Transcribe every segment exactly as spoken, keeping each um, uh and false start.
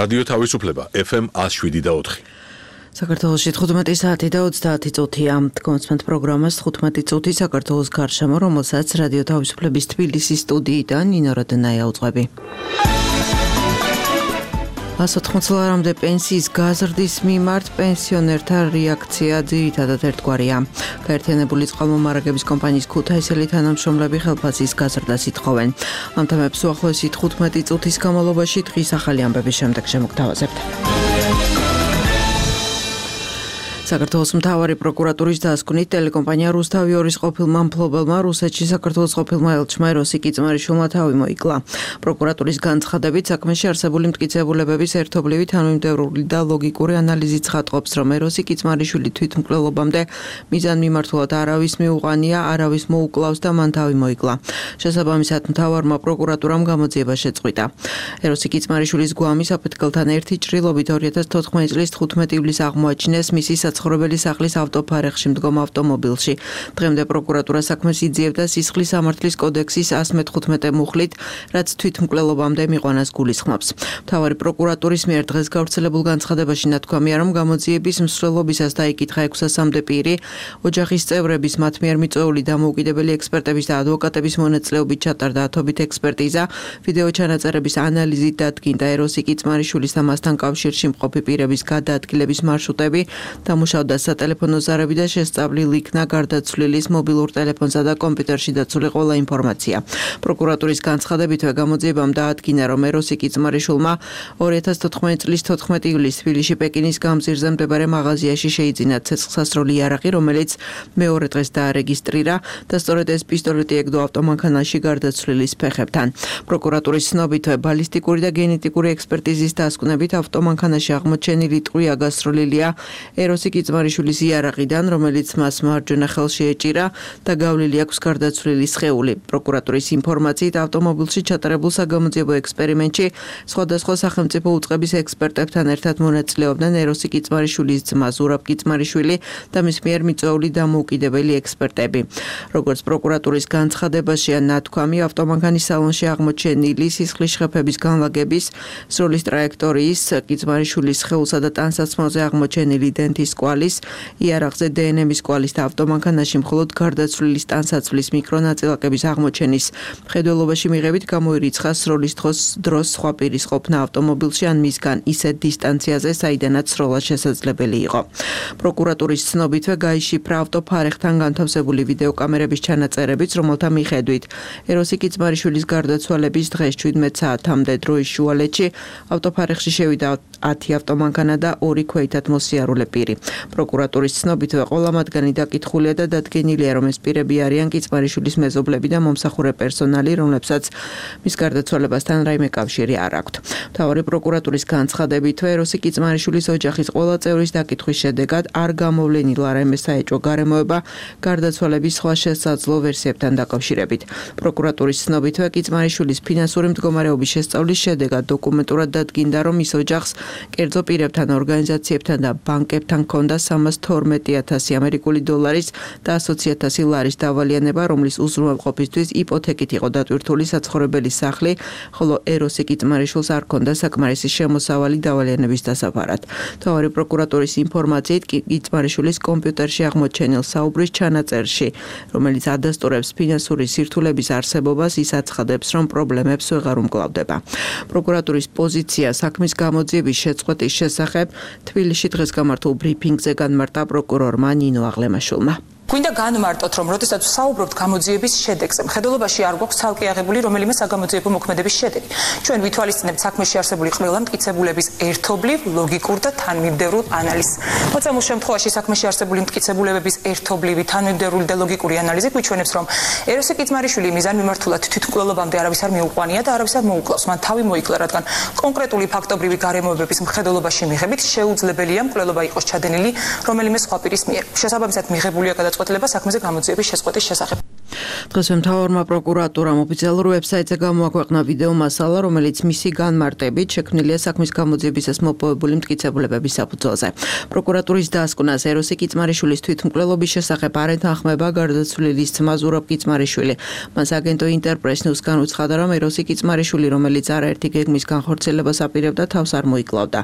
რადიო თავისუფლება ეფ ემ one oh seven და four. საქართველოში თხუთმეტი საათი და ოცდაათი წუთია. კონსპენთ პროგრამას თხუთმეტი წუთი საქართველოს გარშემო, რომელსაც რადიო თავისუფლების თბილისის სტუდიიდან ნინო რადნაია უძღვები. one hundred eighty ლარამდე პენსიის გაზრდის მიმართ პენსიონერთა რეაქცია ძირითადად ერთგვარია. გაერთიანებული წყალმომარაგების კომპანიის ქუთაისელი თანამშრომლები ხელფასის გაზრდას ითხოვენ. ამ თემებს უახლოესი თხუთმეტი წუთის განმავლობაში დღის ახალი ამბების შემდეგ შემოგთავაზებთ. საქართველოს მთავარი პროკურატურის დასკვნით ტელეკომპანია რუსთავი ორის ყოფილმა მფლობელმა რუსეთში საქართველოს ყოფილმა ელჩმა ეროსი კიწმარიშვილმა თავი მოიკლა. პროკურატურის განცხადებით საქმეში არსებული მტკიცებულებების ერთობლივი თანმიმდევრული და ლოგიკური ანალიზით ცხადყოფს, რომ ეროსი კიწმარიშვილი თვითმკვლელობამდე მიზანმიმართულად არავის მიუყანია, არავის მოუკლავს და მან თავი მოიკლა. შესაბამისად მთავარმა პროკურატურამ გამოძიება შეწყვიტა. ეროსი კიწმარიშვილის გვამი საფეთქელთან ერთი ჭრილობით ორი ათას თოთხმეტი წლის თხუთმეტი ივლისს აღმოაჩინეს მისი ცხოვრებელი სახლის ავტოფარეხში მდგომ ავტომობილში. დღემდე პროკურატურა საქმეს იძიებდა სისხლის სამართლის კოდექსის one metrotmete მუხლით, რაც თვითმკვლელობამდე მიყვანას გულისხმობს. მთავარი პროკურატურის მიერ დღეს გავრცელებულ განცხადებაში ნათქვამია, რომ გამოძიების მსვლელობისას დაიკითხა ექვსასამდე პირი, ოჯახის წევრების მათ მიერ მიწვეული დამოუკიდებელი ექსპერტების და ადვოკატების მონაწილეობით ჩატარდა ათობით ექსპერტიზა, ვიდეო ჩანაწერების ანალიზით დადგინდა ეროსი კიწმარიშვილის და მასთან კავშირში მყოფი პირების გადაადგილების მარშრუტები, მუშავდა სატელეფონო ზარები და შესწავლილ იქნა გარდაცვლილის მობილურ ტელეფონსა და კომპიუტერში დაცული ყველა ინფორმაცია. პროკურატურის განცხადებითვე გამოძიებამ დაადგინა, რომ ეროსი კიწმარიშვილმა ორი ათას თოთხმეტი წლის თოთხმეტი ივლისს თბილისში პეკინის გამზირზე მდებარე მაღაზიაში შეიძინა ცეცხლსასროლი იარაღი, რომელიც მეორე დღეს დაარეგისტრირა და სწორედ ეს პისტოლეტი ეგდო ავტომანქანაში გარდაცვლილის ფეხებთან. პროკურატურის ცნობითვე ბალისტიკური და გენეტიკური ექსპერტიზის დასკვნებით ავტომანქანაში აღმოჩენილი ტყვია გასროლილია ეროსი კიწმარიშვილის იარაღიდან, რომელიც მას მარჯვენა ხელში ეჭირა და გავლილი აქვს გარდაცვლილი სხეული. პროკურატურის ინფორმაციით ავტომობილში ჩატარებულ საგამოძიებო ექსპერიმენტში სხვადასხვა სახელმწიფო უწყების ექსპერტებთან ერთად მონაწილეობდნენ ეროსი კიწმარიშვილის ძმა ზურაბ კიწმარიშვილი და მის მიერ მიწვეული დამოუკიდებელი ექსპერტები. როგორც პროკურატურის განცხადებაშია ნათქვამი, ავტომანქანის სალონში აღმოჩენილი სისხლის შეფების განლაგების, სროლის ტრაექტორიის, კიწმარიშვილის სხეულსა და ტანსაცმელზე აღმოჩენილი დენთის კვალის, იარაღზე დე ენ ემის კვალის და ავტომანქანაში მხოლოდ გარდაცვლილის ტანსაცმლის მიკრონაწილაკების აღმოჩენის მხედველობაში მიღებით გამოირიცხა სროლის დროს სხვა პირის ყოფნა ავტომობილში ან მისგან ისეთ დისტანციაზე, საიდანაც სროლა შესაძლებელი იყო. პროკურატურის ცნობითვე გაიშიფრა ავტოფარეხთან განთავსებული ვიდეოკამერების ჩანაწერებიც, რომელთა მიხედვით ეროსი კიწმარიშვილის გარდაცვალების დღეს შვიდმეტ საათამდე დროის შუალედში ავტოფარეხში შევიდა ათი ავტომანქანა და ორი ქვეითად მოსიარულე პირი. პროკურატურის ცნობითვე ყველა მათგანი დაკითხულია და დადგენილია, რომ ეს პირები არიან კიწმარიშვილის მეზობლები და მომსახურე პერსონალი, რომლებსაც მის გარდაცვალებასთან რაიმე კავშირი არ აქვთ. მთავარი პროკურატურის განცხადებითვე ეროსი კიწმარიშვილის ოჯახის ყველა წევრის დაკითხვის შედეგად არ გამოვლენილა რაიმე საეჭვო გარემოება გარდაცვალების სხვა შესაძლო ვერსიებთან დაკავშირებით. პროკურატურის ცნობითვე კიწმარიშვილის ფინანსური მდგომარეობის შესწავლის შედეგად დოკუმენტურად დადგინდა, რომ ის ოჯახს კერძო პირებთან, ორგანიზაციებთან და ბანკებთან ჰქონდა სამას თორმეტი ათასი ამერიკული დოლარის და ასოცი ათასი ლარის დავალიანება, რომლის უზრუნველყოფისთვის იპოთეკით იყო დატვირთული საცხოვრებელი სახლი, ხოლო ეროსი კიწმარიშვილს არ ჰქონდა საკმარისი შემოსავალი დავალიანების დასაფარად. მთავარი პროკურატურის ინფორმაციით კიწმარიშვილის კომპიუტერში აღმოჩენილ საუბრის ჩანაწერში, რომელიც ადასტურებს ფინანსური სირთულების არსებობას, ის აცხადებს, რომ პრობლემებს ვეღარ უმკლავდება. პროკურატურის პოზიცია საქმის გამოძიების შეწყვეტის შესახებ თბილისში დღეს გამართულ ბრიფინგზე განმარტა პროკურორმა ნინო აღლემაშვილმა. გვინდა განმარტოთ, რომ როდესაც ვსაუბრობთ გამოძიების შედეგზე, მხედველობაში არ გვაქვს ცალკე აღებული რომელიმე საგამოძიებო მოქმედების შედეგი. ჩვენ ვითვალისწინებთ საქმეში არსებული ყველა მტკიცებულების ერთობლივ, ლოგიკურ და თანმიმდევრულ ანალიზს. მოცემულ შემთხვევაში საქმეში არსებული მტკიცებულებების ერთობლივი, თანმიმდევრული და ლოგიკური ანალიზი გვიჩვენებს, რომ ეროსი კიწმარიშვილი მიზანმიმართულად თვითმკვლელობამდე არავის არ მიუყვანია და არავის არ მოუკლავს. მან თავი მოიკლა, რადგან კონკრეტული ფაქტობრივი გარემოებების მხედველობაში მიღებით შეუძლებელია მკვლელობა იყოს ჩადენილი რომელიმე სხვა პირის მიერ. შესაბამისად მიღებულია გადაწყვეტილება საქმეზე გამოძიების შეწყვეტის შესახებ. დღეს მთავარმა პროკურატურამ ოფიციალურ ვებსაიტზე გამოაქვეყნა ვიდეო მასალა, რომელიც მისი განმარტებით შექმნილია საქმის გამოძიებისას მოპოვებული მტკიცებულებების საფუძველზე. პროკურატურის დასკვნას ეროსი კიწმარიშვილის თვითმკვლელობის შესახებ არ ეთანხმება გარდაცვლილის ძმა ზურაბ კიწმარიშვილი. მას აგენტო ინტერპრეს-ნიუს განუცხადა, რომ ეროსი კიწმარიშვილი, რომელიც არაერთი გეგმის განხორციელებას აპირებდა, თავს არ მოიკლავდა.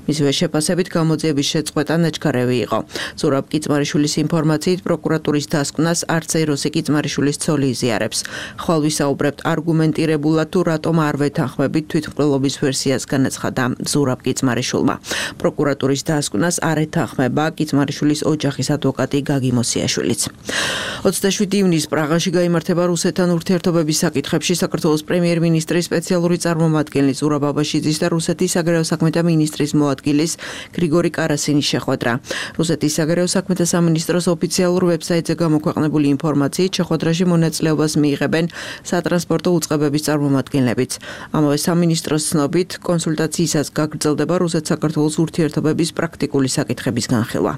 მისივე შეფასებით გამოძიების შეწყვეტა ნაჩქარევი იყო. ზურაბ კიწმარიშვილის ინფორმაციით პროკურატურის დასკვნას არც ეროსი კიწმარიშვილის ცოლი იზიარებს. ხვალ ვისაუბრებთ არგუმენტირებულად თუ რატომ არ ვეთანხმებით თვითმკვლელობის ვერსიას, განაცხადა ზურაბ კიწმარიშვილმა. პროკურატურის დასკვნას არ ეთანხმება კიწმარიშვილის ოჯახის ადვოკატი გაგი მოსიაშვილიც. ოცდაშვიდი ივნისს პრაღაში გაიმართება რუსეთთან ურთიერთობების საკითხებში საქართველოს პრემიერ-მინისტრის სპეციალური წარმომადგენლის ზურაბ აბაშიძის და რუსეთის საგარეო საქმეთა მინისტრის მოადგილის გრიგორი კარასინის შეხვედრა. რუსეთის საგარეო საქმეთა სამინისტროს ოფიციალურ ვებსაიტზე გამოქვეყნებული ინფორმაციით შეხვედრაში მონაწილეობას მიიღებენ სატრანსპორტო უწყებების წარმომადგენლებიც. ამავე სამინისტროს ცნობით, კონსულტაციისას გაგრძელდება რუსეთ-საქართველოს ურთიერთობების პრაქტიკული საკითხების განხილვა.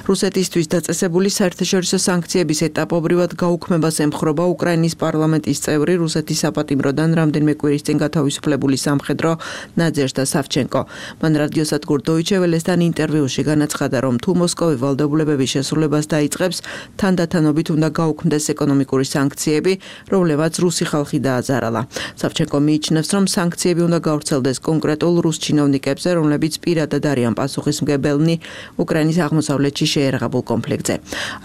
რუსეთისთვის დაწესებული საერთაშორისო სანქციების ეტაპობრივად გაუქმებას ემხრობა უკრაინის პარლამენტის წევრი რუსეთის საპატიმროდან რამდენიმე კვირის წინ გათავისუფლებული სამხედრო ნაძეჟდა სავჩენკო. მან რადიოსადგურ დოიჩე ველესთან ინტერვიუში განაცხადა, რომ თუ მოსკოვი ვალდებულებების შესრულებას დაიწყებს, თანდათანობით უნდა გაუქმდეს ეკონომიკური სანქციები, რომლებაც რუსი ხალხი დააზარალა. სავჩენკო მიიჩნევს, რომ სანქციები უნდა გავრცელდეს კონკრეტულ რუს ჩინოვნიკებზე, რომლებიც პირადად არიან პასუხისმგებელნი უკრაინის აღმოსავლეთში შეერაღებულ კონფლიქტზე.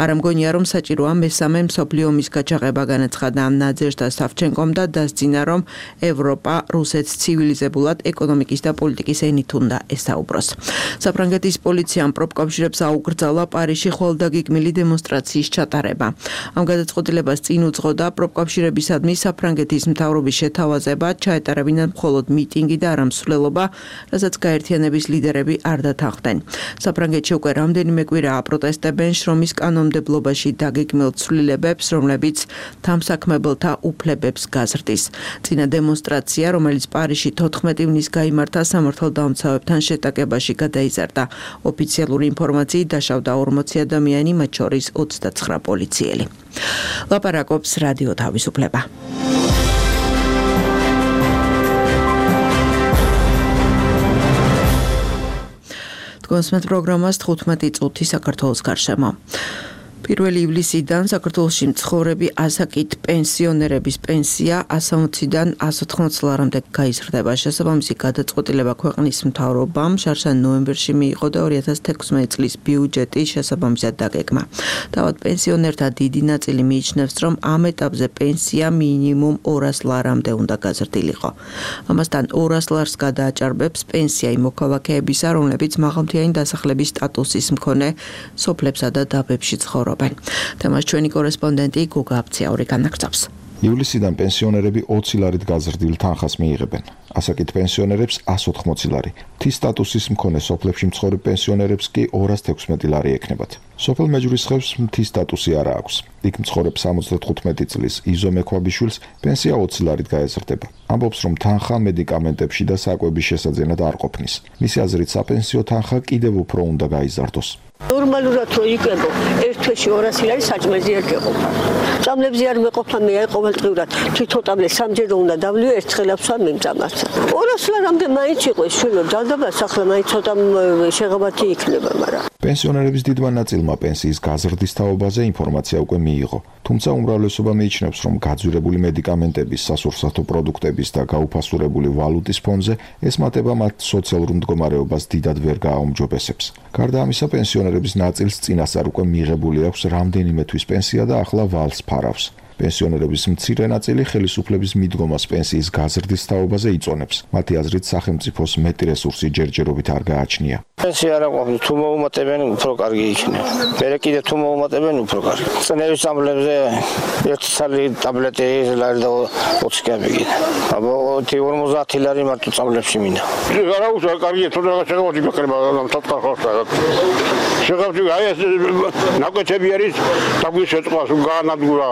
არ ამგონია, რომ საჭიროა მესამე მსოფლიო ომის გაჩაღება, განაცხადა ნაძეჟდა სავჩენკომ და დასძინა, რომ ევროპა რუსეთს ცივილიზებულად ეკონომიკის და პოლიტიკის ენით უნდა ესაუბროს. საფრანგეთის პოლიციამ პროფკავშირებს აუკრძალა პარიზში ხვალდაგეგმილი დემონსტრაციის ჩატარება. ამ გადაწყვეტილებას წინ უძღოდა პროფკავშირებისადმი საფრანგეთის მთავრობის შეთავაზება, ჩაეტარებინათ მხოლოდ მიტინგი და არა მსვლელობა, რასაც გაერთიანების ლიდერები არ დათანხმდნენ. საფრანგეთში უკვე რამდენიმე კვირაა აპროტესტებენ შრომის კანონმდებლობაში დაგეგმილ ცვლილებებს, რომლებიც დამსაქმებელთა უფლებებს გაზრდის. წინა დემონსტრაცია, რომელიც პარიზში თოთხმეტი ივნისს გაიმართა, სამართალდამცავებთან შეტაკებაში გადაიზარდა. ოფიციალური ინფორმაციით დაშავდა ორმოცი ადამიანი, მათ შორის ოცდაცხრა პოლიციელი. ლაპარაკობს რადიო თავისუფლება. თქვენს პროგრამას თხუთმეტი წუთი საქართველოს გარშემო. პირველი ივლისიდან საქართველოში მცხოვრები ასაკით პენსიონერების პენსია ასა ოციდან ასა ოთხმოცი ლარამდე გაიზრდება. შესაბამისი გადაწყვეტილება ქვეყნის მთავრობამ შარშან ნოემბერში მიიღო და ორი ათას თექვსმეტი წლის ბიუჯეტი შესაბამისად დაგეგმა. თავად პენსიონერთა დიდი ნაწილი მიიჩნევს, რომ ამ ეტაპზე პენსია მინიმუმ ორას ლარამდე უნდა გაზრდილიყო. ამასთან ორას ლარს გადააჭარბებს პენსია იმ მოქალაქეებისა, რომლებიც მაღალმთიანი დასახლების სტატუსის მქონე სოფლებსა და დაბებში ცხოვრობენ. თემას ჩვენი კორესპონდენტი გუგა აბციაური განაგრძობს. ივლისიდან პენსიონერები ოცი ლარით გაზრდილ თანხას მიიღებენ. ასაკით პენსიონერებს ასა ოთხმოცი ლარი. მთის სტატუსის მქონე სოფლებში მცხოვრებ პენსიონერებს კი ორას თექვსმეტი ლარი ექნებათ. სოფელ მეჯურის ხევს მთის სტატუსი არა აქვს. იქ მცხოვრებ სამოცდათხუთმეტი წლის იზო მექვაბიშვილს პენსია ოცი ლარით გაეზრდება. ამბობს, რომ თანხა მედიკამენტებში და საკვების შესაძენად არ ყოფნის. მისი აზრით, საპენსიო თანხა კიდევ უფრო უნდა გაიზარდოს. ნორმალურად რო იყებო, ერთ თვეში ორასი ლარი საჭმელზე არ გეყოფა. წამლებზე არ მეყოფა, მე აი ყოველდღიურად თვითონ წამლე სამჯერ უნდა დავლიო, ერთხელაც ვარ მიმწამაც. ორასი ლარამდე მაინც იყო შვილო, ჯალდაბა სახლა მაინც ცოტა შეღებათი იქნება, მაგრამ პენსიონერების დიდმა ნაწილმა პენსიის გაზრდის თაობაზე ინფორმაცია უკვე მიიღო. თუმცა უმრავლესობა მიიჩნევს, რომ გაძვირებული მედიკამენტების, სასურსათო პროდუქტების და გაუფასურებული ვალუტის ფონზე ეს მატება მათ სოციალურ მდგომარეობას დიდად ვერ გააუმჯობესებს. გარდა ამისა, პენსიონერების ნაწილს წინასწარ უკვე მიღებული აქვს რამდენიმე თვის პენსია და ახლა ვალს ფარავს. პენსიონერების მცირე ნაწილი ხელისუფლების მიდგომას პენსიის გაზრდის თაობაზე იწონებს. მათი აზრით, სახელმწიფოს მეტი რესურსი ჯერჯერობით არ გააჩნია. პენსია არ აყოფს, თუ მოუმატებენ, უფრო კარგი იქნება. მერე კიდე თუ მოუმატებენ, უფრო კარგი. წნევის წამლებზე ერთი ცალი ტაბლეტი ლარი და ოცი კაპიკი. აბა ორმოცი ლარი მარტო წამლებში მინდა. არა უშა კარგია, თუ რაღაც შეგვიძლია გაკრება ამ თოთხმეტ ხორცს. შეგვიძლია აი ეს ნაკვეთები არის, დაგვიშეწყავს განადგურა.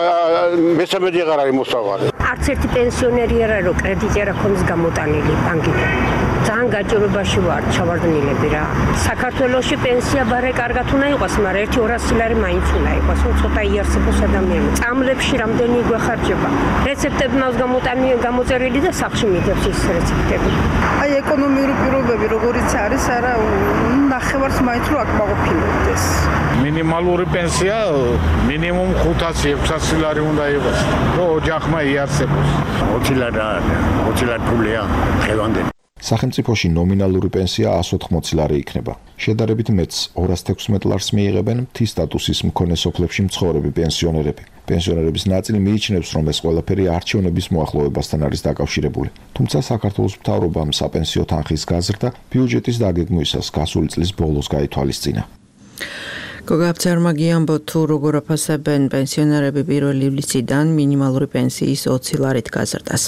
მესამედი აღარ არის მოსავალი. არც ერთი პენსიონერი არ არის, რომ კრედიტი არ აქვს გამოტანილი ბანკიდან. ძალიან გაჭირვებაში ვარ ჩავარდნილები რა. საქართველოში პენსია ბარე კარგად უნდა იყოს, მაგრამ ერთი ორასი ლარი მაინც უნდა იყოს, ცოტა იარსებოს ადამიანი. წამლებში რამდენი გვეხარჯება. რეცეპტები მას გამოტანი გამოწერილი და სახში მიდევს ის რეცეპტები. აი ეკონომიური პირობები როგორიც არის, არა ნახევარს მაინც რო აკმაყოფილებდეს. მინიმალური პენსია მინიმუმ ხუთასი ექვსასი ლარი უნდა იყოს, რომ ოჯახმა იარსებოს. ოცი ლარი ოცი ლარი ფულია ხელამდე. სახელმწიფოში ნომინალური პენსია εκατს ოთხმოცი ლარი იქნება. შედარებით მეც ორას თექვსმეტ ლარს მიიღებენ მთის სტატუსის მქონე სოფლებში მცხოვრები პენსიონერები. პენსიონერების ნაწილი მიიჩნევს, რომ ეს ყველაფერი არჩევნების მოახლოვებასთან არის დაკავშირებული. თუმცა საქართველოს მთავრობამ საპენსიო თანხის გაზრდა ბიუჯეტის დაგეგმვისას გასული წლის ბოლოს გაითვალისწინა. გოგაბცერმა გიამბო თუ როგორ აფასებენ პენსიონერები პირველი ივლისიდან მინიმალური პენსიის ოცი ლარით გაზრდას.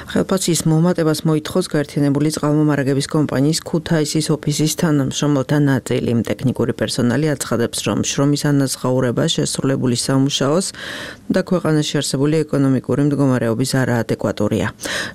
ხელფასის მომატებას მოითხოვს გაერთიანებული წყალმომარაგების კომპანიის ქუთაისის ოფისის თანამშრომელთა ნაწილი. ტექნიკური პერსონალი აცხადებს, რომ შრომის ანაზღაურება შესრულებული სამუშაოს და ქვეყანაში არსებული ეკონომიკური მდგომარეობის არაადეკვატურია.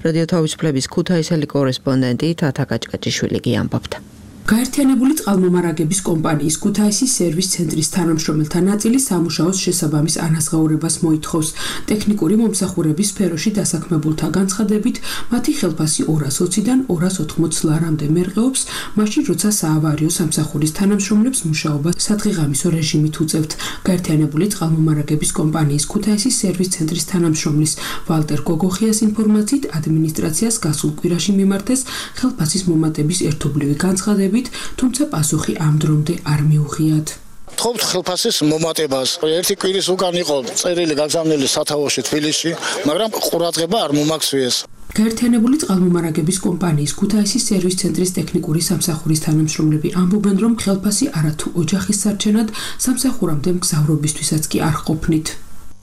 რადიო თავისუფლების ქუთაისელი კორესპონდენტი თათა კაჭკაჭიშვილი გიამბობდა. გაერთიანებული წყალმომარაგების კომპანიის ქუთაისის სერვის ცენტრის თანამშრომელთა ნაწილი სამუშაოს შესაბამის ანაზღაურებას მოითხოვს. ტექნიკური მომსახურების სფეროში დასაქმებულთა განცხადებით, მათი ხელფასი ორას ოციდან ორას ოთხმოცი ლარამდე მერყეობს, მაშინ როცა საავარიო სამსახურის თანამშრომლებს მუშაობა სადღეღამისო რეჟიმით უწევთ. გაერთიანებული წყალმომარაგების კომპანიის ქუთაისის სერვის ცენტრის თანამშრომლის ვალტერ გოგოხიას ინფორმაციით, ადმინისტრაციას გასულ კვირაში მიმართეს ხელფასის მომატების ერთობლივი განცხადები, თუმცა პასუხი ამ დრომდე არ მიუღიათ. ვთხოვთ ხელფასის მომატებას. ერთი კვირის უკან იყო წერილი გაგზავნილი სათავეში თბილისში, მაგრამ ყურადღება არ მომაქცევეს. გაერთიანებული წყალმომარაგების კომპანიის ქუთაისის სერვის ცენტრის ტექნიკური სამსახურის თანამშრომლები ამბობენ, რომ ხელფასი არათუ ოჯახის სარჩენად, სამსახურამდე მგზავრობისთვისაც კი არ ყოფნით.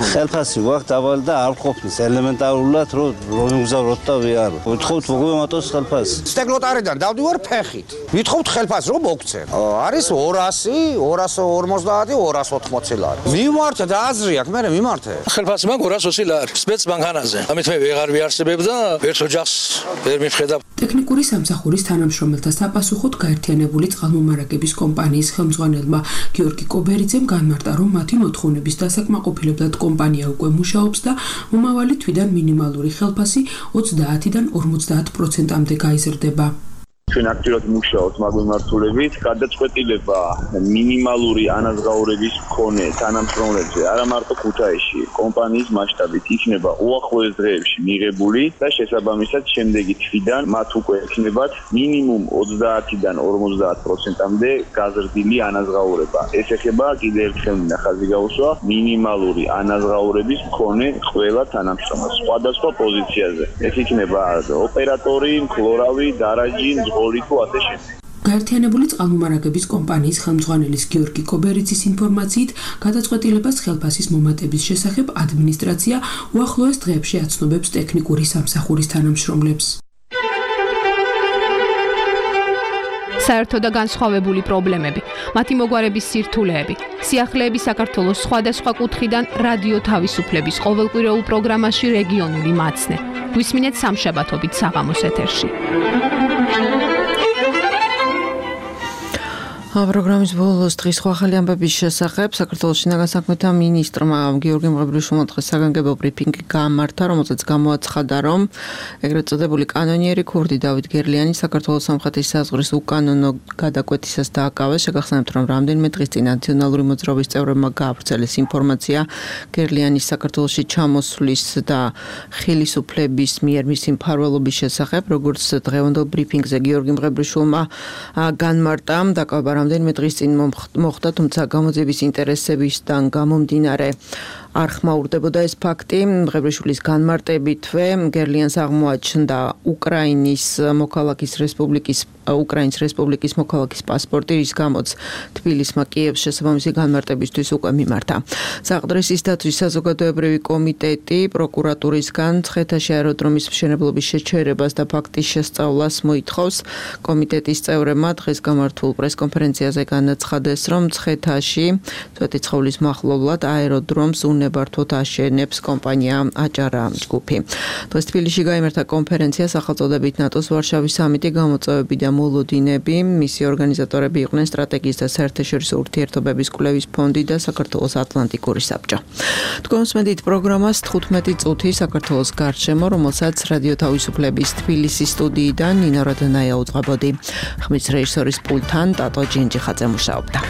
ხელფასი ვახთ დაბალი და არ ყოფნის ელემენტარულად რომ რომიგზავროთ და ვიარო. ვთხოვთ მოგმატოს ხელფასი. სტეკლოტარიდან დავდივარ ფეხით. ვითხოვთ ხელფასს რომ მოგცენ. არის ორასი, ორას ორმოცდაათი, ორას ოთხმოცი ლარი. მიმართე და აზრი აქვს, მე მიმართე. ხელფასი მაგ ორას ოცი ლარი. სპეცბანკანაზე. ამით მე ვეღარ ვიარსებებ და ერთ ოჯახს ვერ მივხედავ. ტექნიკური სამსახურის თანამშრომელთა საპასუხოდ გაერთიანებული წყალმომარაგების კომპანიის ხელმძღვანელმა გიორგი კობერიძემ განმარტა, რომ მათი მოთხოვნების დასაკმაყოფილებლად კომპანია უკვე მუშაობს და მომავალი თვიდან მინიმალური ხელფასი ოცდაათიდან ორმოცდაათ პროცენტამდე გაიზრდება. ჩვენ აქტიურად მუშაობთ მაგ მიმართულებით, გადაწყვეტილება მინიმალური ანაზღაურების მქონე თანამშრომლებზე არა მარტო ქუთაისში, კომპანიის მასშტაბით იქნება უახლოეს დღეებში მიღებული და შესაბამისად შემდეგი თვიდან მათ უკვე ექნებათ მინიმუმ ოცდაათიდან ორმოცდაათ პროცენტამდე გაზრდილი ანაზღაურება. ეს ეხება კიდევ ერთხელ ნახაზი გაუსვა მინიმალური ანაზღაურების მქონე ყველა თანამშრომელს სხვადასხვა პოზიციაზე. ეს იქნება ოპერატორი, მქლორავი, დარაჯი, გაერთიანებული წყალმომარაგების კომპანიის ხელმძღვანელის გიორგი კობერიძის ინფორმაციით, გადაწყვეტილებას ხელფასის მომატების შესახებ ადმინისტრაცია უახლოეს დღეებში აცნობებს ტექნიკური სამსახურის თანამშრომლებს. საერთო და განსხვავებული პრობლემები, მათი მოგვარების სირთულეები, სიახლეები საქართველოს სხვადასხვა კუთხიდან რადიო თავისუფლების ყოველკვირეულ პროგრამაში რეგიონული მაცნე. გვისმინეთ სამშაბათობით საღამოს ეთერში. პროგრამის ბოლოს დღის სხვა ახალი ამბების შესახებ საქართველოს შინაგან საქმეთა მინისტრმა გიორგი მღებრიშვილმა დღეს საგანგებო ბრიფინგი გაამართა, რომელზეც გამოაცხადა, რომ ეგრეთ წოდებული კანონიერი ქურდი დავით გერლიანი საქართველოს სამხრეთის საზღვრის უკანონო გადაკვეთისას დააკავეს. შეგახსენებთ, რომ რამდენიმე დღის წინ ნაციონალური მოძრაობის წევრებმა გაავრცელეს ინფორმაცია გერლიანის საქართველოში ჩამოსვლის და ხელისუფლების მიერ მისი მფარველობის შესახებ, როგორც დღევანდელ ბრიფინგზე გიორგი მღებრიშვილმა განმარტა, დაკავება რამდენიმე დღის წინ მოხდა, თუმცა გამოძიების ინტერესებისგან გამომდინარე არ ხმაურდებოდა ეს ფაქტი. მღებრიშვილის განმარტებითვე გერლიანს აღმოაჩნდა უკრაინის მოქალაქის რესპუბლიკის უკრაინის რესპუბლიკის მოქალაქის პასპორტი, რის გამოც თბილისმა კიევს შესაბამისი განმარტებისთვის უკვე მიმართა. საყდრისის დაცვის საზოგადოებრივი კომიტეტი პროკურატურისგან ცხეთაში აეროდრომის მშენებლობის შეჩერებას და ფაქტის შესწავლას მოითხოვს. კომიტეტის წევრებმა დღეს გამართულ პრესკონფერენციაზე განაცხადეს, რომ ცხეთაში წვეთი ცხოვლის მახლობლად აეროდრომს საუნებართვოდ აშენებს კომპანია აჭარა ჯგუფი. დღეს თბილისში გაიმართა კონფერენცია სახელწოდებით ნატოს ვარშავის სამიტი გამოწვევები და მოლოდინები. მისი ორგანიზატორები იყვნენ სტრატეგიის და საერთაშორისო ურთიერთობების კვლევის ფონდი და საქართველოს ატლანტიკური საბჭო. თქვენ უსმენთ პროგრამას თხუთმეტი წუთი საქართველოს გარშემო, რომელსაც რადიო თავისუფლების თბილისის სტუდიიდან ნინო როდნაია უძღვებოდი. ხმის რეჟისორის პულტთან ტატო ჯინჯიხაძე მუშაობდა.